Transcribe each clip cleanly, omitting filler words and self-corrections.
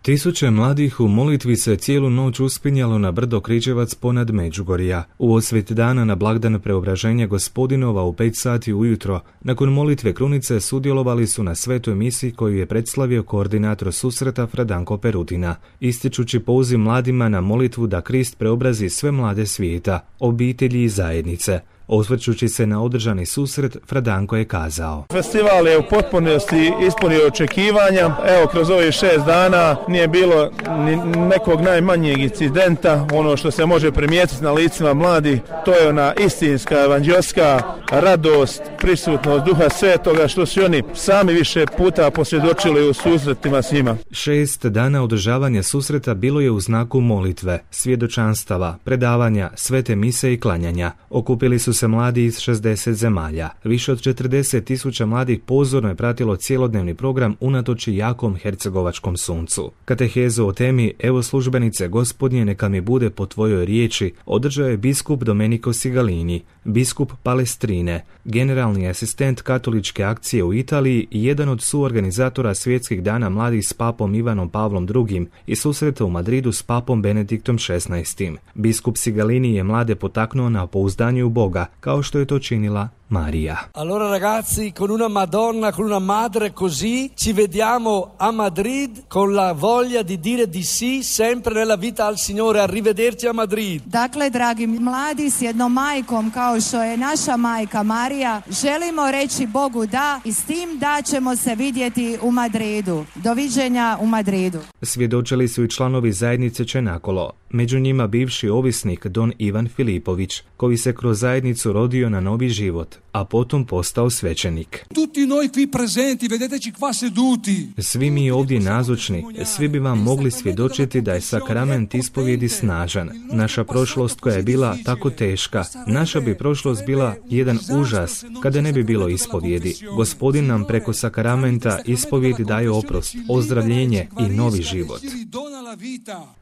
Tisuće mladih u molitvi se cijelu noć uspinjalo na brdo Križevac ponad Međugorja. U osvit dana na blagdan Preobraženja Gospodinova u 5 sati ujutro, nakon molitve krunice sudjelovali su na svetoj misi koju je predstavio koordinator susreta Fradanko Perutina, ističući poziv mladima na molitvu da Krist preobrazi sve mlade svijeta, obitelji i zajednice. Osvrćući se na održani susret, Fradanko je kazao: Festival je u potpunosti ispunio očekivanja. Evo, kroz ovih 6 dana nije bilo ni nekog najmanjeg incidenta. Ono što se može primijetiti na licima mladih, to je ona istinska evanđelska radost, prisutnost Duha Svetoga, što su oni sami više puta posvjedočili u susretima s njima. 6 dana održavanja susreta bilo je u znaku molitve, svjedočanstava, predavanja, svete mise i klanjanja. Okupili su se mladi iz 60 zemalja. Više od 40.000 mladih pozorno je pratilo cjelodnevni program unatoč jakom hercegovačkom suncu. Katehezu o temi Evo službenice Gospodnje, neka mi bude po tvojoj riječi održao je biskup Domenico Sigalini, biskup Palestrine, generalni asistent katoličke akcije u Italiji i jedan od suorganizatora svjetskih dana mladih s papom Ivanom Pavlom II i susreta u Madridu s papom Benediktom XVI. Biskup Sigalini je mlade potaknuo na pouzdanje u Boga, kao što je to činila Maria. Allora ragazzi, con una Madonna, con una madre così, ci vediamo a Madrid con la voglia di dire di sì sempre nella vita al Signore. Arrivederci a Madrid. Dakle, dragi mladi, s jednom majkom kao što je naša majka Marija, želimo reći Bogu da i s tim da ćemo se vidjeti u Madridu. Doviđenja u Madridu. Svjedočili su i članovi zajednice Čenakolo, među njima bivši ovisnik Don Ivan Filipović, koji se kroz zajednicu rodio na novi život, a potom postao svećenik. Tutti noi qui presenti, vedeteci qua seduti. Svi mi ovdje nazočni, svi bi vam mogli svjedočiti da je sakrament ispovjedi snažan. Naša prošlost koja je bila tako teška, naša bi prošlost bila jedan užas kada ne bi bilo ispovjedi. Gospodin nam preko sakramenta ispovjedi daje oprost, ozdravljenje i novi život.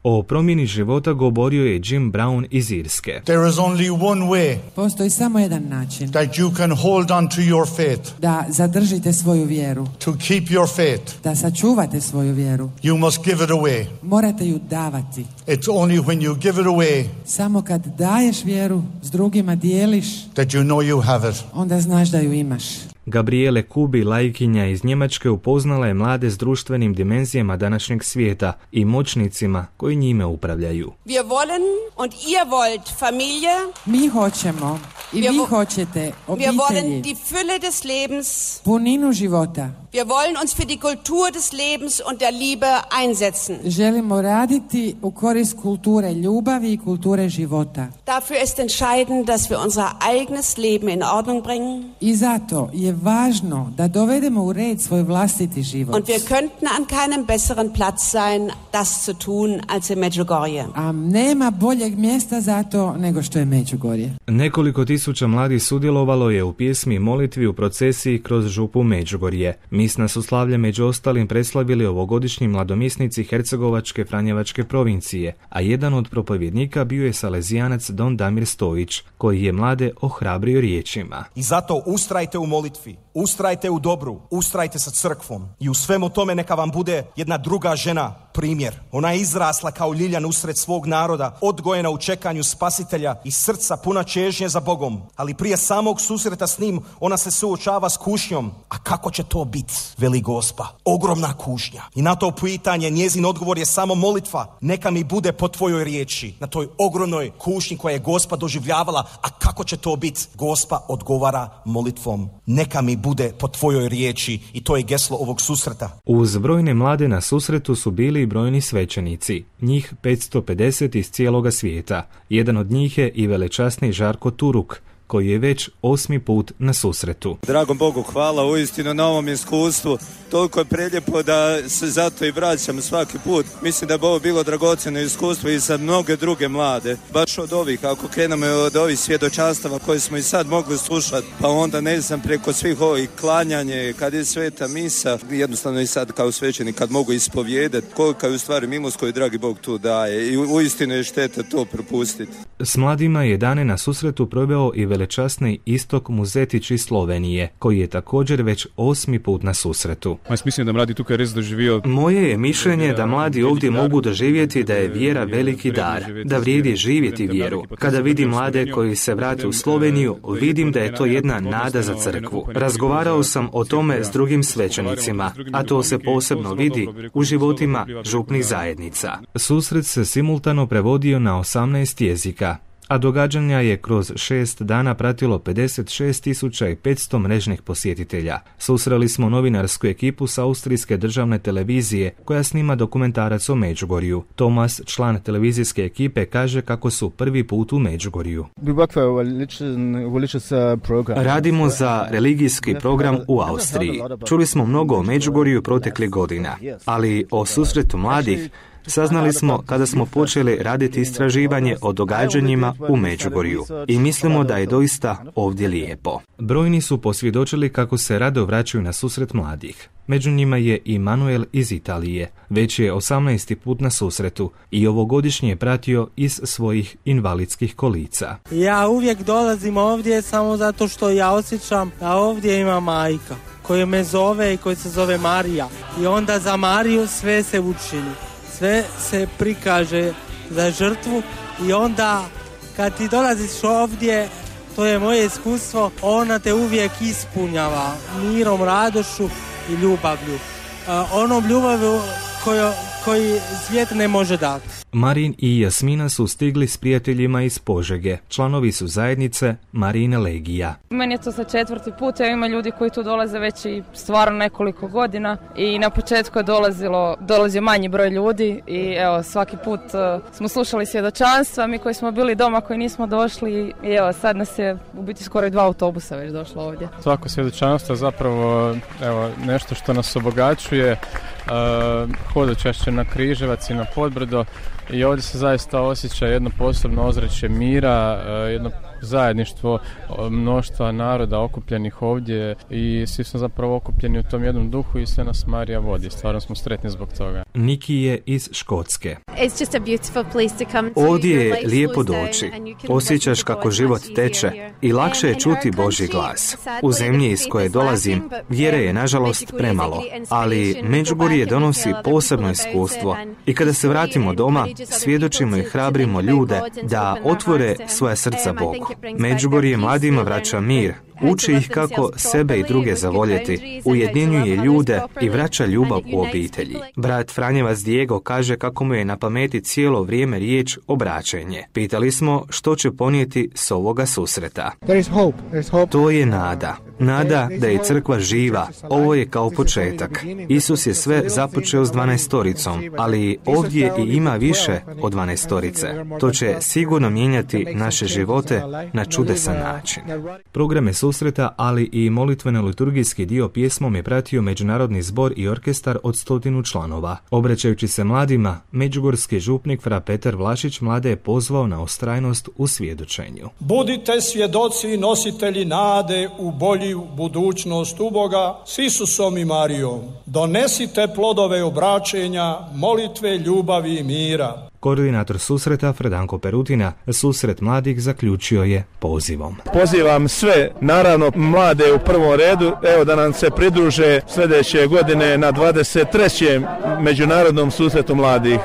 O promjeni života govorio je Jim Brown iz Irske. There is only one way. Postoji samo jedan način. That you can hold on to your faith. Da zadržite svoju vjeru. To keep your faith. Da sačuvate svoju vjeru. You must give it away. Morate ju davati. It's only when you give it away. Samo kad daješ vjeru, s drugima dijeliš, that you know you have it. Onda znaš da ju imaš. Gabriele Kubi, laikinja iz Njemačke, upoznala je mlade s društvenim dimenzijama današnjeg svijeta i moćnicima koji njime upravljaju. Wir wollen und ihr wollt Familie. Mi hoćemo i vi hoćete obitelji. Wir wollen die Fülle des Lebens. Puninu života. Wir wollen uns für die Kultur des Lebens und der Liebe einsetzen. Želimo raditi u korist kulture ljubavi i kulture života. Dafür ist entscheidend, dass wir unser eigenes Leben in Ordnung bringen. I zato je važno da dovedemo u red svoj vlastiti život. Und wir könnten an keinem besseren Platz sein, das zu tun, als in Međugorje. A nema boljeg mjesta za to nego što je Međugorje. Nekoliko tisuća mladih sudjelovalo je u pjesmi i molitvi u procesiji kroz župu Međugorje. Misna su slavlje među ostalim preslavili ovogodišnji mladomisnici Hercegovačke Franjevačke provincije, a jedan od propovjednika bio je Salezijanac Don Damir Stojić, koji je mlade ohrabrio riječima. I zato ustrajte u molitvi, ustrajte u dobru, ustrajte sa crkvom i u svemu tome neka vam bude jedna druga žena primjer. Ona je izrasla kao ljiljan usred svog naroda, odgojena u čekanju spasitelja i srca puna čežnje za Bogom, ali prije samog susreta s njim ona se suočava s kušnjom. A kako će to biti, veli Gospa? Ogromna kušnja. I na to pitanje njezin odgovor je samo molitva. Neka mi bude po tvojoj riječi. Na toj ogromnoj kušnji koja je Gospa doživljavala, a kako će to biti? Gospa odgovara molitvom. Neka mi bude po tvojoj riječi, i to je geslo ovog susreta. Uz brojne mlade na susretu su bili i brojni svećenici, njih 550 iz cijeloga svijeta. Jedan od njih je i velečasni Žarko Turuk, koji je već 8. put na susretu. Dragom Bogu hvala uistinu na ovom iskustvu. Toliko je prelijepo da se zato i vraćam svaki put. Mislim da bi ovo bilo dragocjeno iskustvo i za mnoge druge mlade. Baš od ovih, ako krenemo od ovih svjedočanstava koje smo i sad mogli slušati, pa onda ne znam preko svih ovih klanjanje, kad je sveta misa, jednostavno i sad kao svećenik kad mogu ispovijedati kolika je u stvari milost koju dragi Bog tu daje i uistinu je šteta to propustiti. S mladima je dane na susretu proveo i velečasni Istok Muzetić iz Slovenije, koji je također već 8. put na susretu. Moje je mišljenje da mladi ovdje mogu doživjeti da je vjera veliki dar, da vrijedi živjeti vjeru. Kada vidim mlade koji se vrate u Sloveniju, vidim da je to jedna nada za crkvu. Razgovarao sam o tome s drugim svećenicima, a to se posebno vidi u životima župnih zajednica. Susret se simultano prevodio na 18 jezika, a događanja je kroz 6 dana pratilo 56.500 mrežnih posjetitelja. Susreli smo novinarsku ekipu s austrijske državne televizije koja snima dokumentarac o Međugorju. Tomas, član televizijske ekipe, kaže kako su prvi put u Međugorju. Radimo za religijski program u Austriji. Čuli smo mnogo o Međugorju proteklih godina, ali o susretu mladih saznali smo kada smo počeli raditi istraživanje o događanjima u Međugorju i mislimo da je doista ovdje lijepo. Brojni su posvjedočili kako se rado vraćaju na susret mladih. Među njima je i Manuel iz Italije. Već je 18. put na susretu i ovogodišnje je pratio iz svojih invalidskih kolica. Ja uvijek dolazim ovdje samo zato što ja osjećam da ovdje ima majka koja me zove i koja se zove Marija. I onda za Mariju sve se učini. Sve se prikaže za žrtvu i onda kad ti dolaziš ovdje, to je moje iskustvo, ona te uvijek ispunjava mirom, radošću i ljubavlju. Onom ljubavlju koji svijet ne može dati. Marin i Jasmina su stigli s prijateljima iz Požege. Članovi su zajednice Marine Legija. Meni je to sa 4. put, ima ljudi koji tu dolaze već i stvarno nekoliko godina i na početku je dolazio manji broj ljudi i evo svaki put smo slušali svjedočanstva, mi koji smo bili doma koji nismo došli i evo sad nas je u biti skoro i 2 autobusa već došlo ovdje. Svako svjedočanstvo je zapravo nešto što nas obogaćuje, hodočašće na Križevac i na Podbrdo i ovdje se zaista osjeća jedno posebno ozračje mira, jedno zajedništvo mnoštva naroda okupljenih ovdje i svi smo zapravo okupljeni u tom jednom duhu i sve nas Marija vodi. Stvarno smo sretni zbog toga. Niki je iz Škotske. Ovdje je lijepo doći. Osjećaš kako život teče i lakše je čuti Božji glas. U zemlji iz koje dolazim, vjere je nažalost premalo, ali Međugorje donosi posebno iskustvo i kada se vratimo doma, svjedočimo i hrabrimo ljude da otvore svoja srca Bogu. Međugorje mladima vraća mir, uči ih kako sebe i druge zavoljeti, ujedinjuje ljude i vraća ljubav u obitelji. Brat Franjevac Diego kaže kako mu je na pameti cijelo vrijeme riječ obraćenje. Pitali smo što će ponijeti s ovoga susreta. To je nada. Nada da je crkva živa. Ovo je kao početak. Isus je sve započeo s 12-toricom, ali ovdje i ima više od 12-torice. To će sigurno mijenjati naše živote na čudesan način. Programe susreta, ali i molitveno-liturgijski dio pjesmom je pratio Međunarodni zbor i orkestar od 100 članova. Obraćajući se mladima, međugorski župnik fra Petar Vlašić mlade je pozvao na ustrajnost u svjedočenju. Budite svjedoci i nositelji nade u bolju budućnost u Boga s Isusom i Marijom. Donesite plodove obraćenja, molitve, ljubavi i mira. Koordinator susreta Fredanko Perutina susret mladih zaključio je pozivom. Pozivam sve, naravno mlade u prvom redu, evo da nam se pridruže sljedeće godine na 23. Međunarodnom susretu mladih.